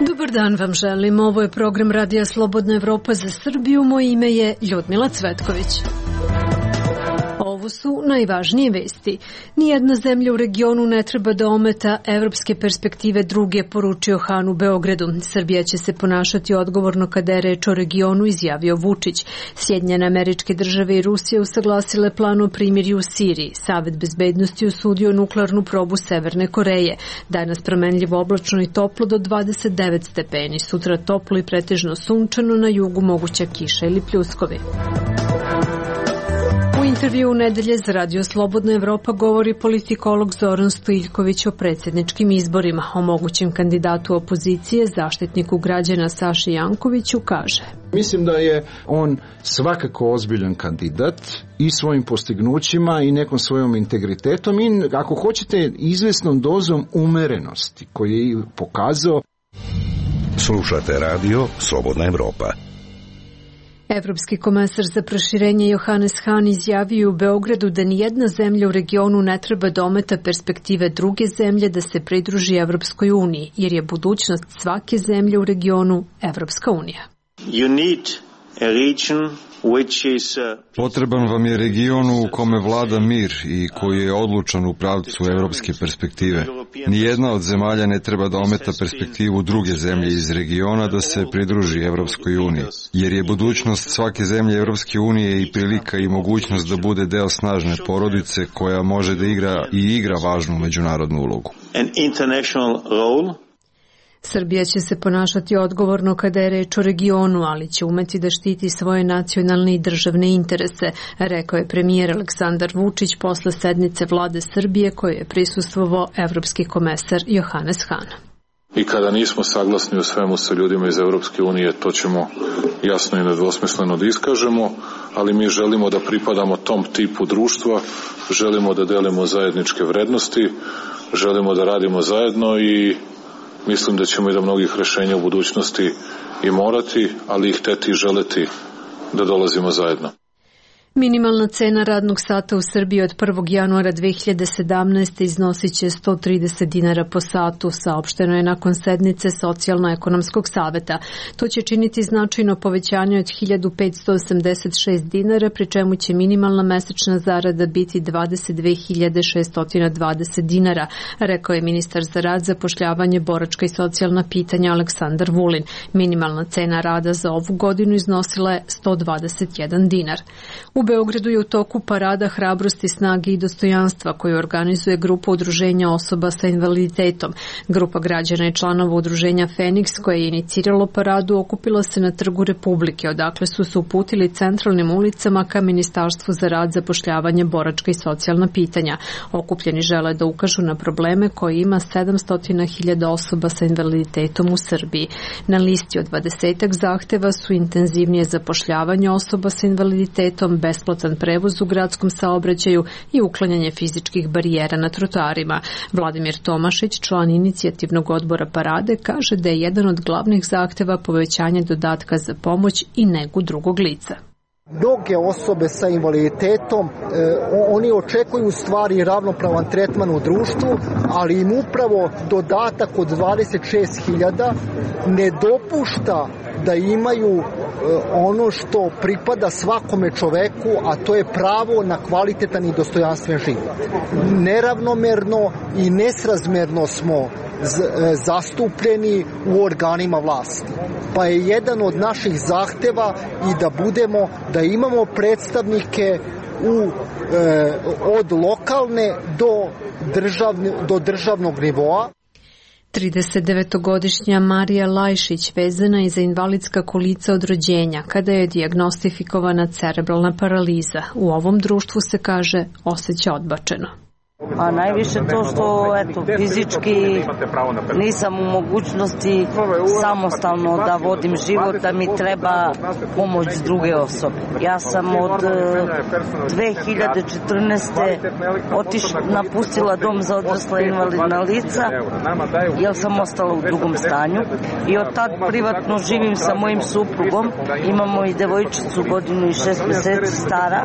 Dobar dan vam želim. Ovo je program Radija Slobodna Evropa za Srbiju. Moje ime je Ljudmila Cvetković. Ovo su najvažnije vesti. Nijedna zemlja u regionu ne treba da ometa evropske perspektive druge, poručio Han u Beogradu. Srbija će se ponašati odgovorno kada je reč o regionu, izjavio Vučić. Sjedinjene Američke Države i Rusija usaglasile plan o primirju u Siriji. Savet bezbednosti osudio nuklearnu probu Severne Koreje. Danas promenljivo oblačno i toplo do 29 stepeni. Sutra toplo i pretežno sunčano, na jugu moguća kiša ili pljuskovi. U intervju u nedelje za Radio Slobodna Evropa govori politikolog Zoran Stojiljković o predsjedničkim izborima. O mogućem kandidatu opozicije, zaštitniku građana Saši Jankoviću, kaže: Mislim da je on svakako ozbiljan kandidat i svojim postignućima i nekom svojom integritetom i, ako hoćete, izvesnom dozom umerenosti koju je pokazao. Slušate Radio Slobodna Evropa. Evropski komesar za proširenje Johannes Hahn izjavio u Beogradu da nijedna zemlja u regionu ne treba da ometa perspektive druge zemlje da se pridruži Evropskoj uniji, jer je budućnost svake zemlje u regionu Evropska unija. Potreban vam je region u kome vlada mir i koji je odlučan u pravcu evropske perspektive. Nijedna od zemalja ne treba da ometa perspektivu druge zemlje iz regiona da se pridruži Evropskoj uniji, jer je budućnost svake zemlje Evropske unije i prilika i mogućnost da bude deo snažne porodice koja može da igra važnu međunarodnu ulogu. Srbija će se ponašati odgovorno kada je reč o regionu, ali će umeti da štiti svoje nacionalne i državne interese, rekao je premijer Aleksandar Vučić posle sednice vlade Srbije koje je prisustvovao evropski komesar Johannes Hahn. I kada nismo saglasni u svemu sa ljudima iz Evropske unije, to ćemo jasno i nedvosmisleno da iskažemo, ali mi želimo da pripadamo tom tipu društva, želimo da delimo zajedničke vrednosti, želimo da radimo zajedno i mislim da ćemo i do mnogih rešenja u budućnosti i morati, ali i hteti i želeti da dolazimo zajedno. Minimalna cena radnog sata u Srbiji od 1. januara 2017. iznosit će 130 dinara po satu, saopšteno je nakon sednice Socijalno-ekonomskog saveta. To će činiti značajno povećanje od 1586 dinara, pri čemu će minimalna mesečna zarada biti 22.620 dinara, rekao je ministar za rad, zapošljavanje, boračka i socijalna pitanja Aleksandar Vulin. Minimalna cena rada za ovu godinu iznosila je 121 dinar. U Beogradu je u toku parada hrabrosti, snage i dostojanstva koju organizuje grupa udruženja osoba sa invaliditetom. Grupa građana i članova udruženja Feniks, koje je iniciralo paradu, okupila se na Trgu Republike, odakle su se uputili centralnim ulicama ka Ministarstvu za rad, zapošljavanje, boračka i socijalna pitanja. Okupljeni žele da ukažu na probleme koje ima 700.000 osoba sa invaliditetom u Srbiji. Na listi od 20 zahteva su intenzivnije zapošljavanje osoba sa invaliditetom, besplatan prevoz u gradskom saobraćaju i uklanjanje fizičkih barijera na trotoarima. Vladimir Tomašić, član inicijativnog odbora parade, kaže da je jedan od glavnih zahteva povećanje dodatka za pomoć i negu drugog lica. Mnoge osobe sa invaliditetom, oni očekuju u stvari ravnopravan tretman u društvu, ali im upravo dodatak od 26.000 ne dopušta da imaju ono što pripada svakome čoveku, a to je pravo na kvalitetan i dostojanstven život. Neravnomerno i nesrazmerno smo zastupljeni u organima vlasti. Pa je jedan od naših zahteva i da imamo predstavnike od lokalne do državnog nivoa. 39-godišnja Marija Lajšić vezana je za invalidska kolica od rođenja kada je dijagnostifikovana cerebralna paraliza. U ovom društvu se kaže osjeća odbačeno. A najviše to što fizički nisam u mogućnosti samostalno da vodim život, da mi treba pomoć druge osobe. Ja sam od 2014. napustila dom za odrasla invalidna lica jer sam ostala u drugom stanju i od tad privatno živim sa mojim suprugom. Imamo i devojčicu 1 godinu i 6 meseci stara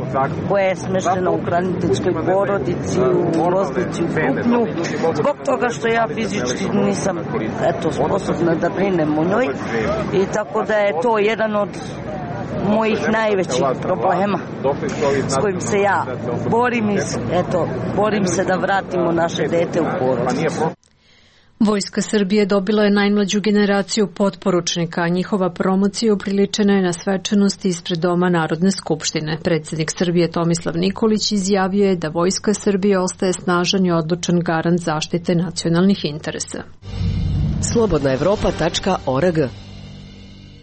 koja je smeštena u hraniteljskoj porodici u Loznici u Krupnju. Zbog toga što ja fizički nisam sposobna da brinem o njoj i tako da je to jedan od mojih najvećih problema s kojim se ja borim i borim se da vratimo naše dete u porodicu. Vojska Srbije dobila je najmlađu generaciju potporučnika, a njihova promocija upriličena je na svečanosti ispred Doma Narodne skupštine. Predsjednik Srbije Tomislav Nikolić izjavio je da Vojska Srbije ostaje snažan i odlučan garant zaštite nacionalnih interesa. Slobodnaevropa.org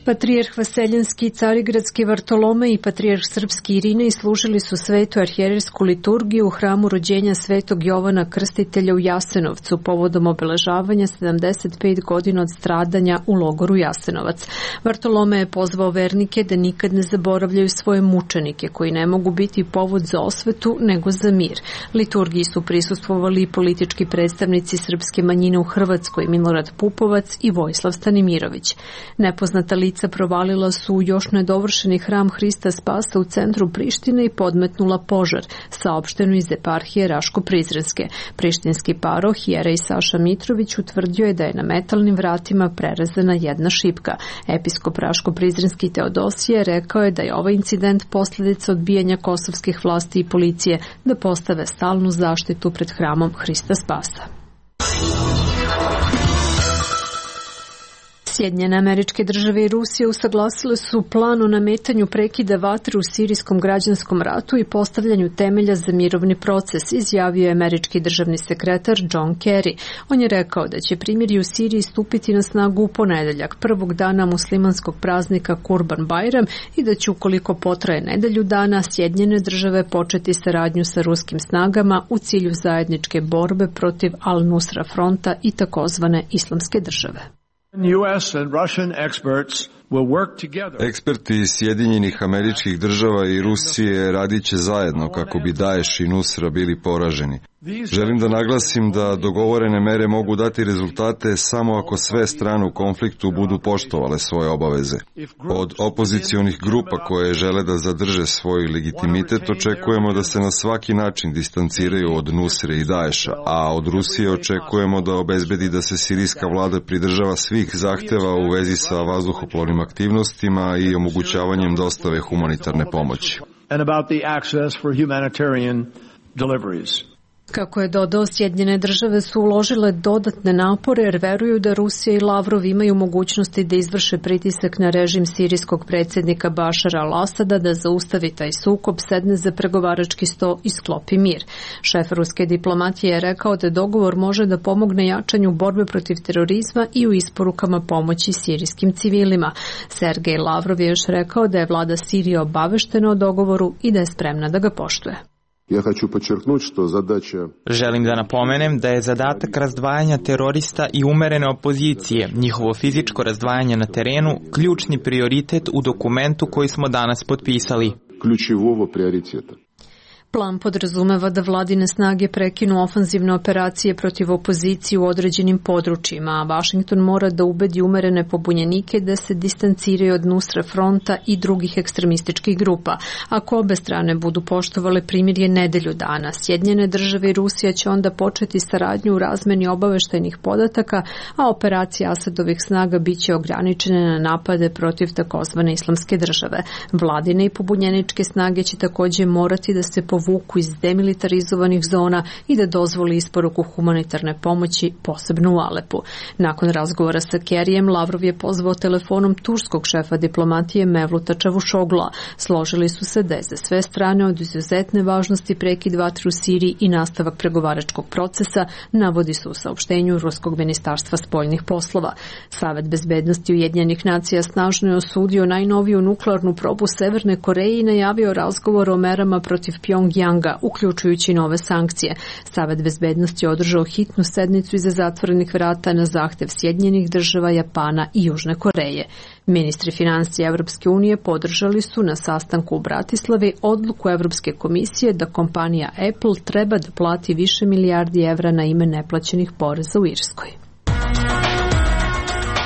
Patrijarh Vaseljenski, Carigradski Vartolomej i patrijarh Srpski Irinej služili su svetu arhijerejsku liturgiju u hramu rođenja svetog Jovana Krstitelja u Jasenovcu povodom obeležavanja 75 godina od stradanja u logoru Jasenovac. Vartolomej je pozvao vernike da nikad ne zaboravljaju svoje mučenike koji ne mogu biti povod za osvetu nego za mir. Liturgiji su prisustvovali i politički predstavnici srpske manjine u Hrvatskoj Milorad Pupovac i Vojislav Stanimirović. Nepoznata lica provalila su u još nedovršeni hram Hrista Spasa u centru Prištine i podmetnula požar, saopšteno iz eparhije Raško-Prizrenske. Prištinski paroh jerej Saša Mitrović utvrdio je da je na metalnim vratima prerezana jedna šipka. Episkop Raško-Prizrenski Teodosije rekao je da je ovaj incident posljedica odbijanja kosovskih vlasti i policije da postave stalnu zaštitu pred hramom Hrista Spasa. Sjedinjene Američke Države i Rusija usaglasile su plan o nametanju prekida vatre u sirijskom građanskom ratu i postavljanju temelja za mirovni proces, izjavio je američki državni sekretar John Kerry. On je rekao da će primirje u Siriji stupiti na snagu u ponedeljak, prvog dana muslimanskog praznika Kurban Bajram, i da će, ukoliko potraje nedelju dana, Sjedinjene Države početi saradnju sa ruskim snagama u cilju zajedničke borbe protiv Al-Nusra fronta i takozvane Islamske države. Eksperti iz Sjedinjenih Američkih Država i Rusije radit će zajedno kako bi Daesh i Nusra bili poraženi. Želim da naglasim da dogovorene mere mogu dati rezultate samo ako sve strane u konfliktu budu poštovale svoje obaveze. Od opozicionih grupa koje žele da zadrže svoj legitimitet očekujemo da se na svaki način distanciraju od Nusre i Daesha, a od Rusije očekujemo da obezbedi da se sirijska vlada pridržava svih zahteva u vezi sa vazduhoplovnim aktivnostima i omogućavanjem dostave humanitarne pomoći. Kako je dodao, Sjedinjene Države su uložile dodatne napore jer veruju da Rusija i Lavrov imaju mogućnosti da izvrše pritisak na režim sirijskog predsjednika Bašara al-Asada da zaustavi taj sukob, sedne za pregovarački sto i sklopi mir. Šef ruske diplomatije je rekao da dogovor može da pomogne jačanju borbe protiv terorizma i u isporukama pomoći sirijskim civilima. Sergej Lavrov je još rekao da je vlada Sirije obaveštena o dogovoru i da je spremna da ga poštuje. Želim da napomenem da je zadatak razdvajanja terorista i umerene opozicije, njihovo fizičko razdvajanje na terenu, ključni prioritet u dokumentu koji smo danas potpisali. Plan podrazumeva da vladine snage prekinu ofanzivne operacije protiv opozicije u određenim područjima, a Vašington mora da ubedi umerene pobunjenike da se distanciraju od Nusra fronta i drugih ekstremističkih grupa. Ako obe strane budu poštovale primirje nedelju dana, Sjedinjene Države i Rusija će onda početi saradnju u razmeni obaveštajnih podataka, a operacije Asadovih snaga biće ograničene na napade protiv takozvane Islamske države. Vladine i pobunjeničke snage će također morati da se povuku iz demilitarizovanih zona i da dozvoli isporuku humanitarne pomoći, posebno u Alepu. Nakon razgovora sa Kerryjem, Lavrov je pozvao telefonom turskog šefa diplomatije Mevluta Čavuşogla. Složili su se da je za sve strane od izuzetne važnosti prekid vatre u Siriji i nastavak pregovaračkog procesa, navodi se u saopštenju Ruskog ministarstva spoljnih poslova. Savet bezbednosti Ujedinjenih nacija snažno je osudio najnoviju nuklearnu probu Severne Koreje i najavio razgovor o merama protiv Pjongjanga Pjongjanga, uključujući nove sankcije. Savet bezbednosti je održao hitnu sednicu iza zatvorenih vrata na zahtev Sjedinjenih država, Japana i Južne Koreje. Ministri finansija Evropske unije podržali su na sastanku u Bratislavi odluku Evropske komisije da kompanija Apple treba da plati više milijardi evra na ime neplaćenih poreza u Irskoj.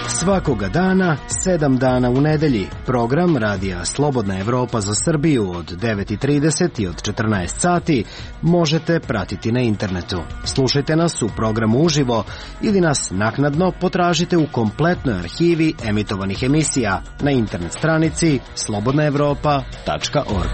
Svakoga dana, 7 dana u nedelji, program Radija Slobodna Evropa za Srbiju od 9:30 i od 14 sati možete pratiti na internetu. Slušajte nas u programu uživo ili nas naknadno potražite u kompletnoj arhivi emitovanih emisija na internet stranici slobodnaevropa.org.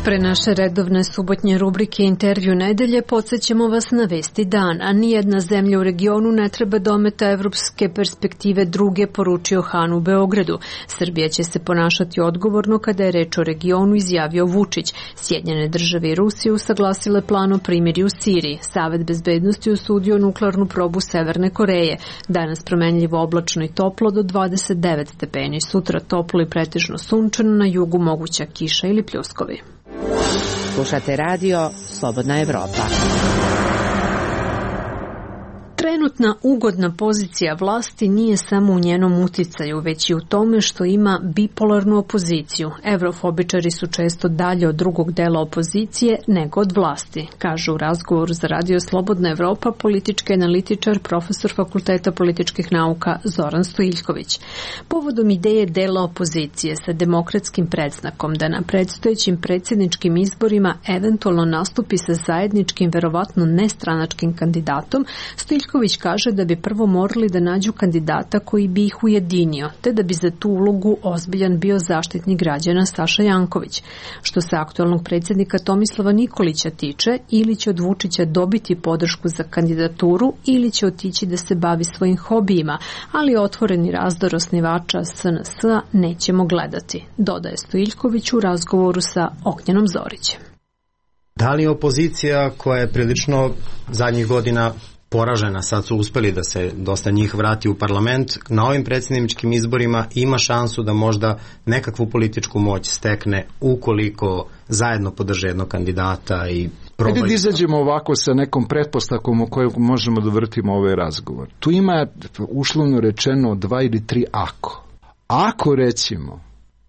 Pre naše redovne subotnje rubrike Intervju nedelje podsjećamo vas na vesti dana. Nijedna zemlja u regionu ne treba da ometa evropske perspektive druge, poručio Han u Beogradu. Srbija će se ponašati odgovorno kada je reč o regionu, izjavio Vučić. Sjedinjene države i Rusija usaglasile plan o primirju u Siriji. Savet bezbednosti osudio nuklearnu probu Severne Koreje. Danas promenljivo oblačno i toplo do 29 stepeni. Sutra toplo i pretežno sunčano, na jugu moguća kiša ili pljuskovi. Slušate radio Slobodna Evropa. Trenutna ugodna pozicija vlasti nije samo u njenom uticaju, već i u tome što ima bipolarnu opoziciju. Evrofobičari su često dalje od drugog dela opozicije nego od vlasti, kaže u razgovoru za radio Slobodna Evropa politički analitičar, profesor Fakulteta političkih nauka Zoran Stojiljković. Povodom ideje dela opozicije sa demokratskim predznakom da na predstojećim predsjedničkim izborima eventualno nastupi sa zajedničkim, verovatno nestranačkim kandidatom, Stojiljković kaže da bi prvo morali da nađu kandidata koji bi ih ujedinio, te da bi za tu ulogu ozbiljan bio zaštitnik građana Saša Janković. Što se aktualnog predsjednika Tomislava Nikolića tiče, ili će od Vučića dobiti podršku za kandidaturu ili će otići da se bavi svojim hobijima, ali otvoreni razdor osnivača SNS-a nećemo gledati, dodaje Stojiljković u razgovoru sa Ognjenom Zorićem. Da li opozicija koja je prilično zadnjih godina poražena, sad su uspeli da se dosta njih vrati u parlament, na ovim predsjedničkim izborima ima šansu da možda nekakvu političku moć stekne ukoliko zajedno podrže jednog kandidata i probaju. Ajde da izađemo ovako sa nekom pretpostavkom o kojoj možemo da vrtimo ovaj razgovor. Tu ima uslovno rečeno 2 ili 3 ako. Ako recimo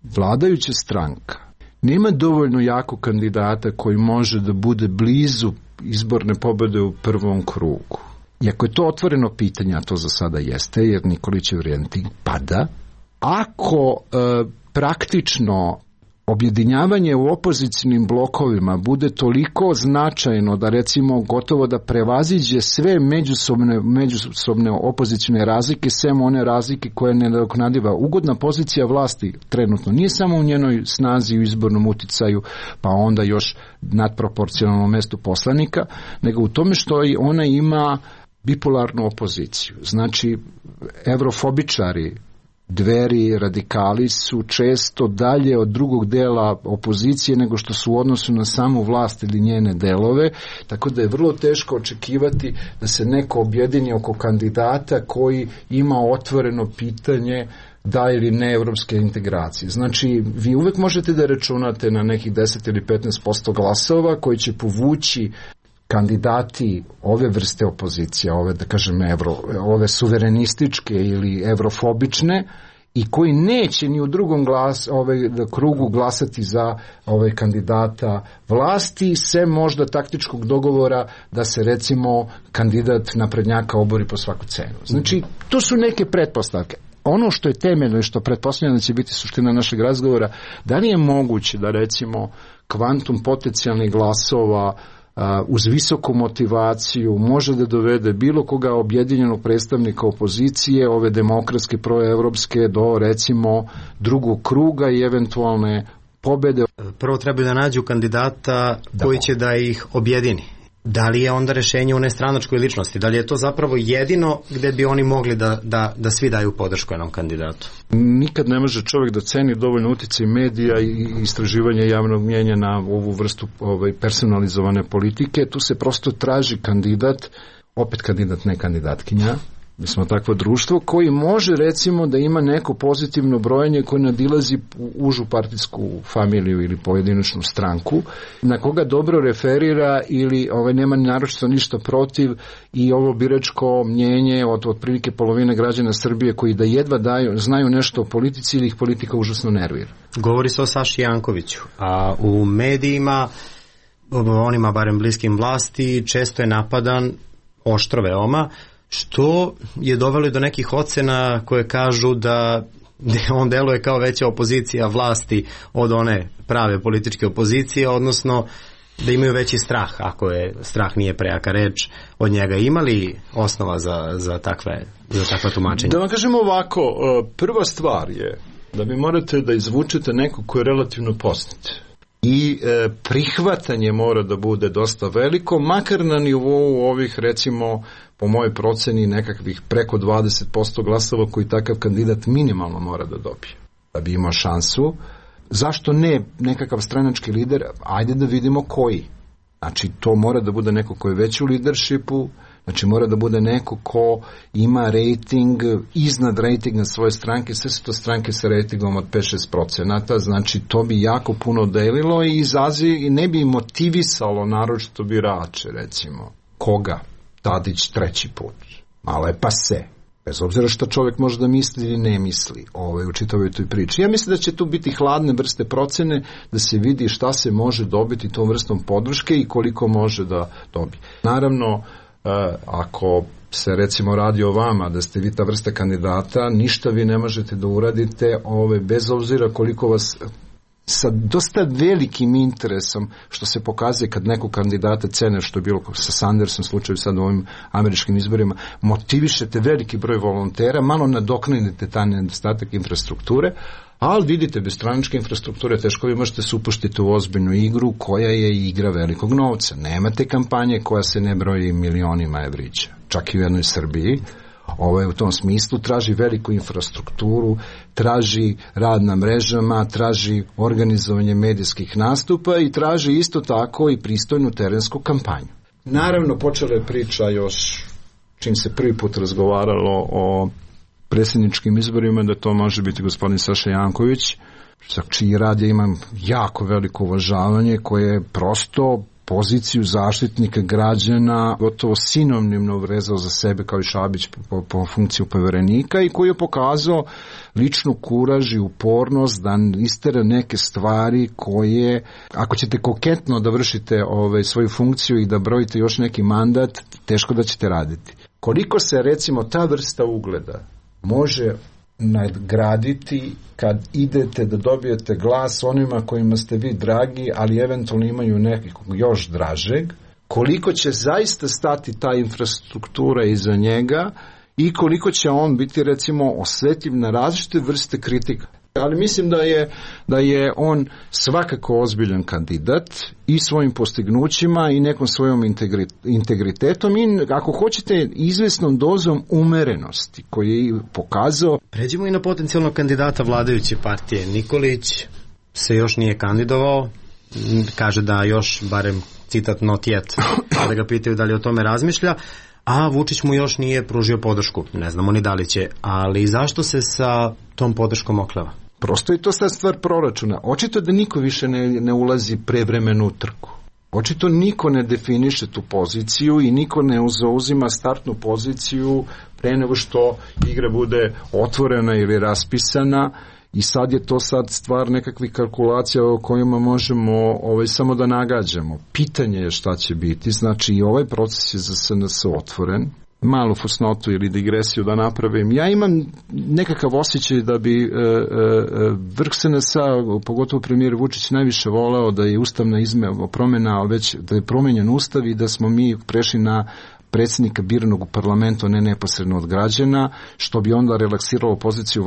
vladajuća stranka nema dovoljno jako kandidata koji može da bude blizu izborne pobjede u prvom krugu. Iako je to otvoreno pitanje, a to za sada jeste, jer Nikolićev rejting pada, ako praktično objedinjavanje u opozicijnim blokovima bude toliko značajno da recimo gotovo da prevaziđe sve međusobne opozicijne razlike, sem one razlike koje ne nadoknadiva. Ugodna pozicija vlasti trenutno nije samo u njenoj snazi u izbornom uticaju, pa onda još nadproporcionalno mestu poslanika, nego u tome što ona ima bipolarnu opoziciju. Znači, evrofobičari, Dveri, radikali su često dalje od drugog dela opozicije nego što su u odnosu na samu vlast ili njene delove, tako da je vrlo teško očekivati da se neko objedini oko kandidata koji ima otvoreno pitanje da ili ne evropske integracije. Znači, vi uvek možete da računate na nekih 10 ili 15% glasova koji će povući kandidati ove vrste opozicije, ove da kažem ove suverenističke ili evrofobične, i koji neće ni u drugom krugu glasati za kandidata vlasti, sem možda taktičkog dogovora da se recimo kandidat naprednjaka obori po svaku cenu. Znači, to su neke pretpostavke. Ono što je temeljno i što pretpostavljam da će biti suština našeg razgovora, da li je moguće da recimo kvantum potencijalnih glasova uz visoku motivaciju može da dovede bilo koga objedinjenog predstavnika opozicije, ove demokratske proevropske, do recimo drugog kruga i eventualne pobede. Prvo trebaju da nađu kandidata koji će da ih objedini. Da li je onda rešenje u nestranačkoj ličnosti? Da li je to zapravo jedino gde bi oni mogli da svi daju podršku jednom kandidatu? Nikad ne može čovjek da ceni dovoljno uticaj medija i istraživanja javnog mnjenja na ovu vrstu personalizovane politike. Tu se prosto traži kandidat, opet kandidat, ne kandidatkinja, Mi smo takvo društvo koji može recimo da ima neko pozitivno brojanje koje nadilazi užu partijsku familiju ili pojedinačnu stranku, na koga dobro referira ili nema naročito ništa protiv i ovo biračko mnjenje od otprilike polovine građana Srbije koji da jedva znaju nešto o politici ili ih politika užasno nervira. Govori se o Saši Jankoviću, a u medijima, onima barem bliskim vlasti, često je napadan oštro veoma, što je dovelo do nekih ocena koje kažu da on deluje kao veća opozicija vlasti od one prave političke opozicije, odnosno da imaju veći strah, ako je strah nije prejaka reč od njega. Ima li osnova za takva tumačenja? Da vam kažemo ovako, prva stvar je da vi morate da izvučete nekog ko je relativno poznat. I prihvatanje mora da bude dosta veliko, makar na nivou ovih, recimo, po mojoj proceni, nekakvih preko 20% glasova koji takav kandidat minimalno mora da dobije. Da bi imao šansu. Zašto ne nekakav stranački lider? Ajde da vidimo koji. Znači, to mora da bude neko ko je već u leadershipu, znači mora da bude neko ko ima rating iznad ratinga svoje stranke, sve su to stranke sa ratingom od 5-6%, znači to bi jako puno delilo i ne bi motivisalo naročito birače, recimo. Koga? Tadić treći put. Malo je pase. Bez obzira što čovjek može da misli ili ne misli u čitavoj toj priči. Ja mislim da će tu biti hladne vrste procene, da se vidi šta se može dobiti tom vrstom podrške i koliko može da dobije. Naravno, ako se recimo radi o vama, da ste vi ta vrsta kandidata, ništa vi ne možete da uradite, bez obzira koliko vas sa dosta velikim interesom, što se pokazuje kad nekog kandidata cene, što je bilo sa Sandersom slučaju sad u ovim američkim izborima, motivišete veliki broj volontera, malo nadoknadite taj nedostatak infrastrukture, ali vidite, bez stranačke infrastrukture teško vi možete se upuštiti u ozbiljnu igru koja je igra velikog novca. Nemate kampanje koja se ne broji milionima evrića, čak i u jednoj Srbiji. U tom smislu traži veliku infrastrukturu, traži rad na mrežama, traži organizovanje medijskih nastupa i traži isto tako i pristojnu terensku kampanju. Naravno, počela je priča još čim se prvi put razgovaralo o predsjedničkim izborima, da to može biti gospodin Saša Janković, za čiji rad ja imam jako veliko uvažavanje, koje je prosto poziciju zaštitnika građana gotovo sinonimno vrezao za sebe kao i Šabić po funkciju poverenika i koji je pokazao ličnu kuraž i upornost da istera neke stvari koje, ako ćete koketno da vršite svoju funkciju i da brojite još neki mandat, teško da ćete raditi. Koliko se recimo ta vrsta ugleda može nadgraditi kad idete da dobijete glas onima kojima ste vi dragi, ali eventualno imaju nekog još dražeg, koliko će zaista stati ta infrastruktura iza njega i koliko će on biti recimo osjetljiv na različite vrste kritika. Ali mislim da je on svakako ozbiljan kandidat i svojim postignućima i nekom svojom integritetom i ako hoćete izvesnom dozom umerenosti koji je pokazao. Pređimo i na potencijalnog kandidata vladajuće partije. Nikolić se još nije kandidovao, kaže da još barem citat not yet, da ga pitaju da li o tome razmišlja, a Vučić mu još nije pružio podršku. Ne znamo ni da li će, ali zašto se sa tom podrškom okleva? Prosto je to sad stvar proračuna. Očito da niko više ne ulazi prevremenu u trku. Očito niko ne definiše tu poziciju i niko ne zauzima startnu poziciju pre nego što igra bude otvorena ili raspisana i sad je to stvar nekakvih kalkulacija o kojima možemo samo da nagađamo. Pitanje je šta će biti, znači i ovaj proces je za SNS otvoren. Malu fusnotu ili digresiju da napravim. Ja imam nekakav osjećaj da bi vrh SNS-a, pogotovo premijer Vučić, najviše voleo da je ustavna promjena, ali već da je promenjen ustav i da smo mi prešli na predsjednika biranog u parlamentu, ne neposredno od građana, što bi onda relaksiralo poziciju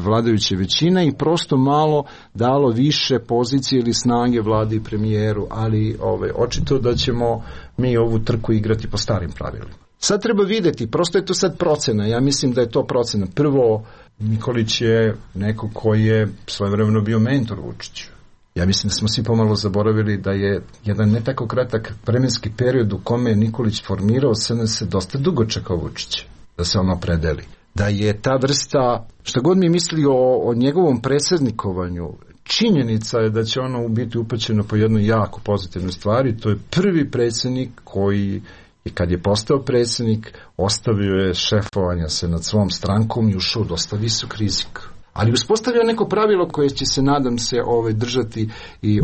vladajuće većine i prosto malo dalo više pozicije ili snage vladi i premijeru, ali očito da ćemo mi ovu trku igrati po starim pravilima. Sad treba vidjeti, prosto je to sad procena, ja mislim da je to procena. Prvo, Nikolić je neko koji je svojevremeno bio mentor Vučiću. Ja mislim da smo svi pomalo zaboravili da je jedan ne tako kratak vremenski period u kome je Nikolić formirao SNS dosta dugo čekao Vučića. da se on opredeli. Da je ta vrsta, šta god mi misli o njegovom predsjednikovanju, činjenica je da će ono biti upaćeno po jednoj jako pozitivnoj stvari. To je prvi predsjednik koji, i kad je postao predsjednik, ostavio je šefovanja se nad svom strankom i ušao dosta visok rizik. Ali uspostavio neko pravilo koje će se, nadam se, držati i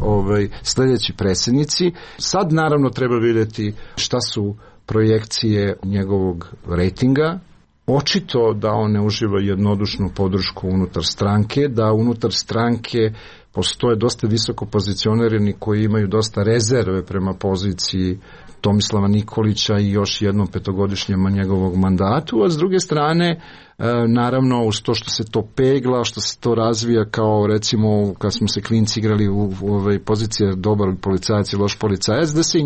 sljedeći predsjednici. Sad naravno treba vidjeti šta su projekcije njegovog rejtinga. Očito da on ne uživa jednodušnu podršku unutar stranke, da unutar stranke postoje dosta visoko pozicionirani koji imaju dosta rezerve prema poziciji Tomislava Nikolića i još jednom petogodišnjem njegovog mandatu, a s druge strane, naravno, uz to što se to pegla, što se to razvija kao, recimo, kad smo se klinci igrali u pozicije dobar policajac i loš policajac, da se i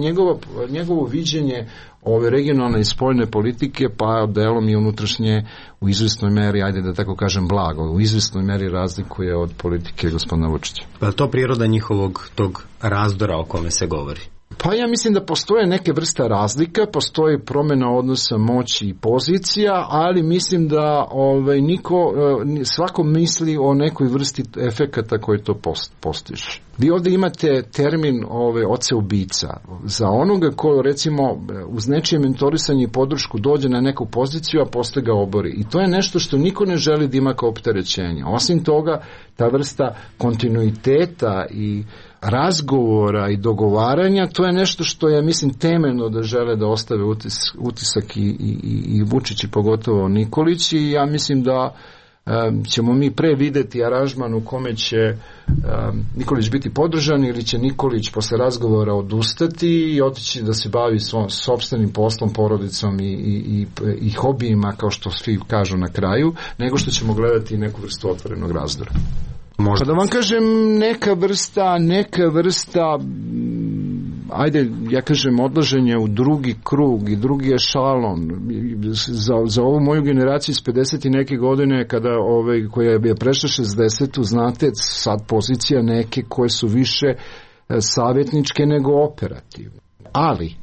njegovo viđenje ove regionalne i spoljne politike, pa delom i unutrašnje, u izvjesnoj meri, ajde da tako kažem blago, u izvjesnoj meri razlikuje od politike gospodina Vučića. Pa je to priroda njihovog tog razdora o kome se govori? Pa ja mislim da postoje neke vrsta razlika, postoji promjena odnosa moći i pozicija, ali mislim da svako misli o nekoj vrsti efekata koji to postiže. Vi ovdje imate termin oce ubica. Za onoga ko, recimo, uz nečije mentorisanje i podršku dođe na neku poziciju, a posle ga obori. I to je nešto što niko ne želi da ima kao opterećenje. Osim toga, ta vrsta kontinuiteta i razgovora i dogovaranja, to je nešto što je, mislim, temeljno da žele da ostave utisak i Vučić i pogotovo Nikolić, i ja mislim da ćemo mi pre videti aranžman u kome će Nikolić biti podržan ili će Nikolić posle razgovora odustati i otići da se bavi svojim sopstvenim poslom, porodicom i hobijima, kao što svi kažu na kraju, nego što ćemo gledati neku vrstu otvorenog razdora. Možda. Pa da vam kažem, neka vrsta ajde, ja kažem, odlaženje u drugi krug i drugi ešalon za ovu moju generaciju iz 50 i neke godine, kada koja je prešla 60, znate, sad pozicija neke koje su više savjetničke nego operativne. Ali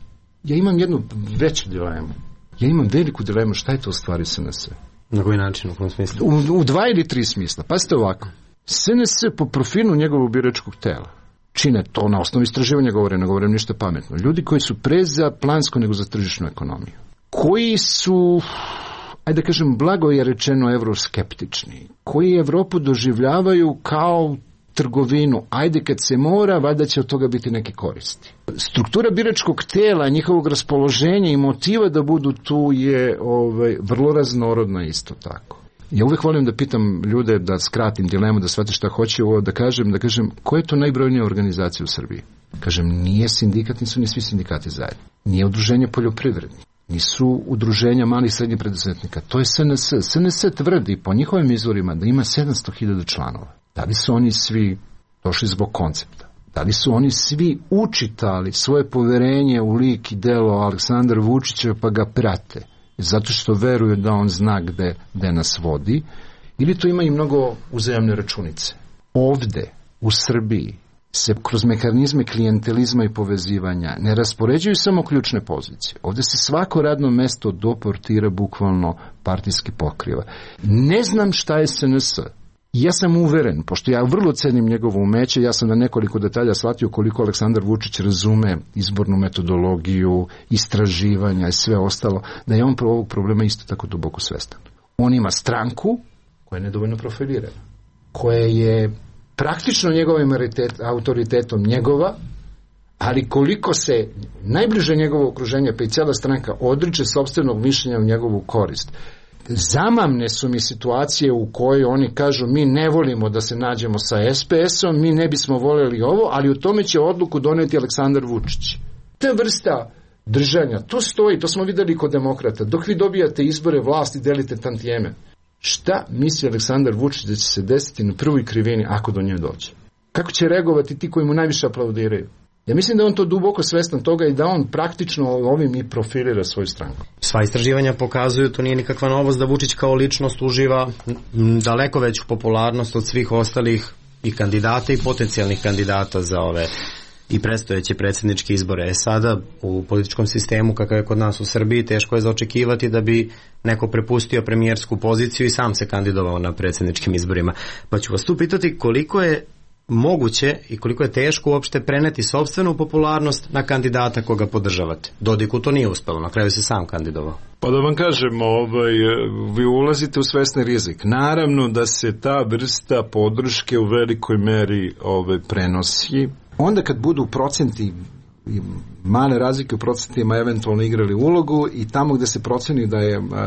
ja imam jednu veću dilemu. Ja imam veliku dilemu šta je to u stvari SNS. Na koji način, u kom smislu? U 2 ili 3 smisla. Pazite ovako. SNS po profilu njegovog biračkog tela čine to na osnovu istraživanja, ne govorim ništa pametno. Ljudi koji su pre za plansku nego za tržišnu ekonomiju. Koji su, ajde da kažem, blago je rečeno evroskeptični. Koji Evropu doživljavaju kao trgovinu. Ajde kad se mora, valjda će od toga biti neke koristi. Struktura biračkog tela, njihovog raspoloženja i motiva da budu tu je vrlo raznorodna isto tako. Ja uvijek volim da pitam ljude, da skratim dilemu, da shvate šta hoće ovo, da kažem, koja je to najbrojnija organizacija u Srbiji? Kažem, nije sindikat, nisu ni svi sindikati zajedno. Nije udruženje poljoprivrednika, nisu udruženja malih i srednjih preduzetnika. To je SNS. SNS tvrdi po njihovim izvorima da ima 700.000 članova. Da li su oni svi došli zbog koncepta? Da li su oni svi učitali svoje poverenje u lik i delo Aleksandra Vučića pa ga prate? Zato što veruju da on zna gde nas vodi, ili to ima i mnogo uzajamne računice. Ovde, u Srbiji, se kroz mehanizme klijentelizma i povezivanja ne raspoređuju samo ključne pozicije. Ovde se svako radno mesto doportira, bukvalno partijski pokriva. Ne znam šta je SNS. Ja sam uveren, pošto ja vrlo cenim njegovo umeće, ja sam na nekoliko detalja shvatio koliko Aleksandar Vučić razume izbornu metodologiju, istraživanja i sve ostalo, da je on ovog problema isto tako duboko svestan. On ima stranku koja je nedovoljno profilirana, koja je praktično njegovim autoritetom njegova, ali koliko se najbliže njegovo okruženje, pa i cijela stranka, odriče sopstvenog mišljenja u njegovu korist. Zamamne su mi situacije u kojoj oni kažu mi ne volimo da se nađemo sa SPS-om, mi ne bismo voljeli ovo, ali u tome će odluku doneti Aleksandar Vučić. Ta vrsta držanja, to stoji, to smo videli kod demokrata. Dok vi dobijate izbore, vlasti, delite tantijeme. Šta misli Aleksandar Vučić da će se desiti na prvoj krivini ako do nje dođe? Kako će reagovati ti koji mu najviše aplaudiraju? Ja mislim da on to duboko svestan toga i da on praktično ovim i profilira svoju stranku. Sva istraživanja pokazuju, to nije nikakva novost, da Vučić kao ličnost uživa daleko veću popularnost od svih ostalih i kandidata i potencijalnih kandidata za ove i predstojeće predsjedničke izbore. Sada u političkom sistemu kakav je kod nas u Srbiji teško je zaočekivati da bi neko prepustio premijersku poziciju i sam se kandidovao na predsjedničkim izborima. Pa ću vas tu pitati koliko je moguće i koliko je teško uopšte preneti sopstvenu popularnost na kandidata koga podržavate. Dodiku to nije uspelo, na kraju se sam kandidovao. Pa da vam kažem, vi ulazite u svesni rizik. Naravno da se ta vrsta podrške u velikoj meri prenosi. Onda kad budu procenti i male razlike u procentima eventualno igrali ulogu i tamo gde se proceni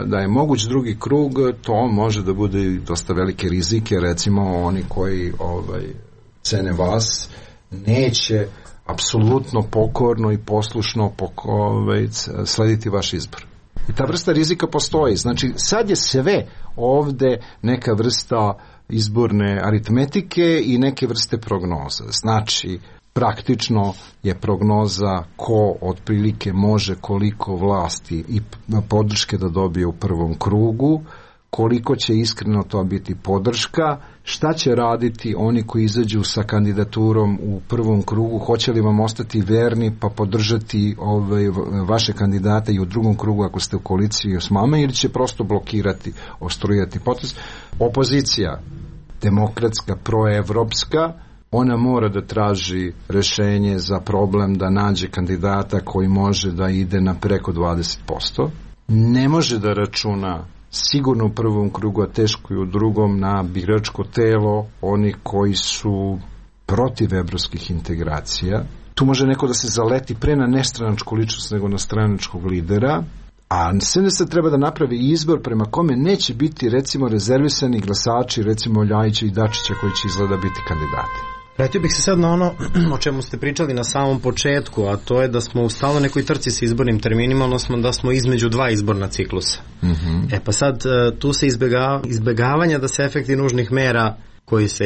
da je moguć drugi krug, to može da bude i dosta velike rizike, recimo oni koji cene vas neće apsolutno pokorno i poslušno slediti vaš izbor. I ta vrsta rizika postoji. Znači, sad je sve ovde neka vrsta izborne aritmetike i neke vrste prognoza. Znači, praktično je prognoza ko otprilike može koliko vlasti i podrške da dobije u prvom krugu, koliko će iskreno to biti podrška, šta će raditi oni koji izađu sa kandidaturom u prvom krugu, hoće li vam ostati verni pa podržati vaše kandidate i u drugom krugu ako ste u koaliciji s vama, ili će prosto blokirati, obstruirati potez. Opozicija, demokratska, proevropska, ona mora da traži rešenje za problem da nađe kandidata koji može da ide na preko 20%. Ne može da računa sigurno u prvom krugu, a teško i u drugom, na biračko telo onih koji su protiv evropskih integracija. Tu može neko da se zaleti pre na nestranačku ličnost nego na stranačkog lidera, a sve se treba da napravi izbor prema kome neće biti recimo rezervisani glasači recimo Ljajića i Dačića koji će izgleda biti kandidati. Vratio bih se sad na ono o čemu ste pričali na samom početku, a to je da smo u stalno nekoj trci sa izbornim terminima, odnosno da smo između dva izborna ciklusa. Pa sad tu se izbegavanja da se efekti nužnih mera koji se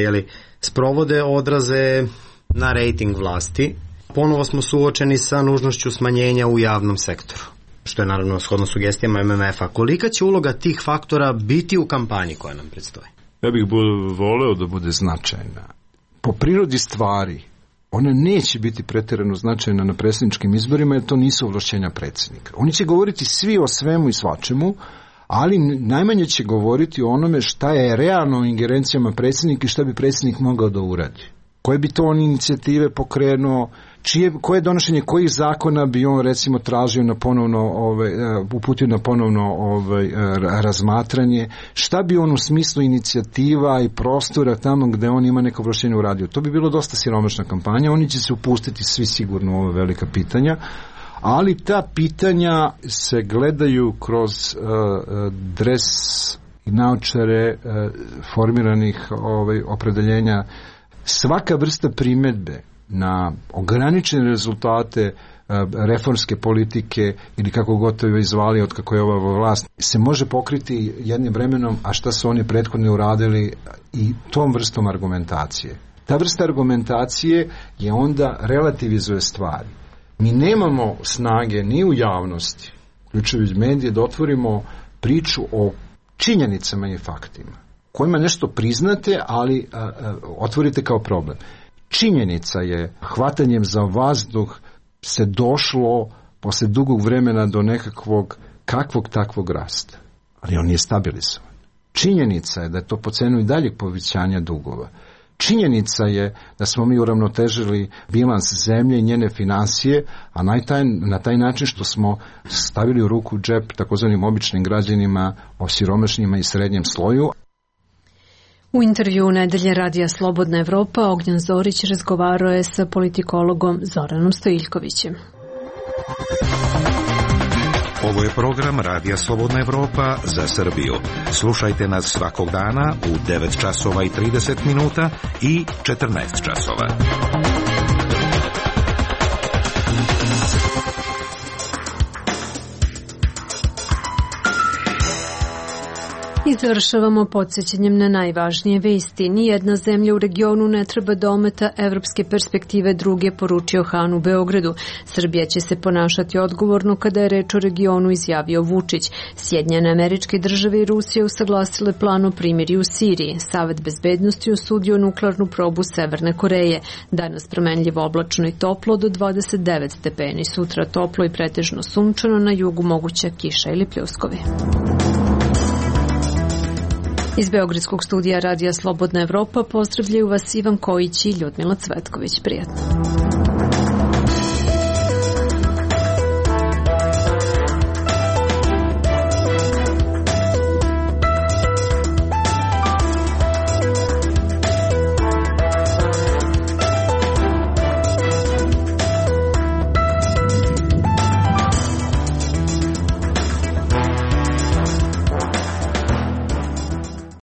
sprovode odraze na rejting vlasti. Ponovo smo suočeni sa nužnošću smanjenja u javnom sektoru, što je naravno shodno sugestijama MMF-a. Kolika će uloga tih faktora biti u kampanji koja nam predstoji? Ja bih voleo da bude značajna. Po prirodi stvari, ona neće biti pretjerano značajna na predsjedničkim izborima jer to nisu ovlašćenja predsjednika. Oni će govoriti svi o svemu i svačemu, ali najmanje će govoriti o onome šta je realno u ingerencijama predsjednika i šta bi predsjednik mogao da uradi. Koje bi to on inicijative pokrenuo, koje donošenje kojih zakona bi on recimo tražio na ponovno uputio na ponovno razmatranje, šta bi on u smislu inicijativa i prostora tamo gde on ima neko ovlašćenje uradio. To bi bilo dosta siromašna kampanja, oni će se upustiti svi sigurno u ova velika pitanja, ali ta pitanja se gledaju kroz dres i naočare formiranih opredeljenja. Svaka vrsta primedbe na ograničene rezultate reformske politike ili kako god to je izvali od kako je ova vlast se može pokriti jednim vremenom, a šta su oni prethodno uradili i tom vrstom argumentacije. Ta vrsta argumentacije je onda relativizuje stvari. Mi nemamo snage ni u javnosti, uključujući medije, da otvorimo priču o činjenicama i faktima kojima nešto priznate, ali otvorite kao problem. Činjenica je, hvatanjem za vazduh se došlo posle dugog vremena do nekakvog kakvog takvog rasta, ali on nije stabilizovan. Činjenica je da je to po cenu i daljeg povećanja dugova. Činjenica je da smo mi uravnotežili bilans zemlje i njene finansije, a na taj način što smo stavili u ruku džep takozvanim običnim građanima, osiromašnjima i srednjem sloju. U intervju Nedelje radija Slobodna Evropa Ognjen Zorić razgovarao je sa politikologom Zoranom Stojiljkovićem. Ovo je program Radija Slobodna Evropa za Srbiju. Slušajte nas svakog dana u 9 časova i 30 minuta i 14 časova. I završavamo podsjećanjem na najvažnije vesti. Nijedna zemlja u regionu ne treba da ometa evropske perspektive druge, poručio Han u Beogradu. Srbija će se ponašati odgovorno kada je reč o regionu, izjavio Vučić. Sjedinjene Američke Države i Rusija usaglasile plan o primirju u Siriji. Savet bezbednosti osudio nuklearnu probu Severne Koreje. Danas promenljivo oblačno i toplo do 29 stepeni. Sutra toplo i pretežno sunčano, na jugu moguća kiša ili pljuskovi. Iz Beogradskog studija Radija Slobodna Evropa pozdravljaju vas Ivan Kojić i Ljudmila Cvetković. Prijatno.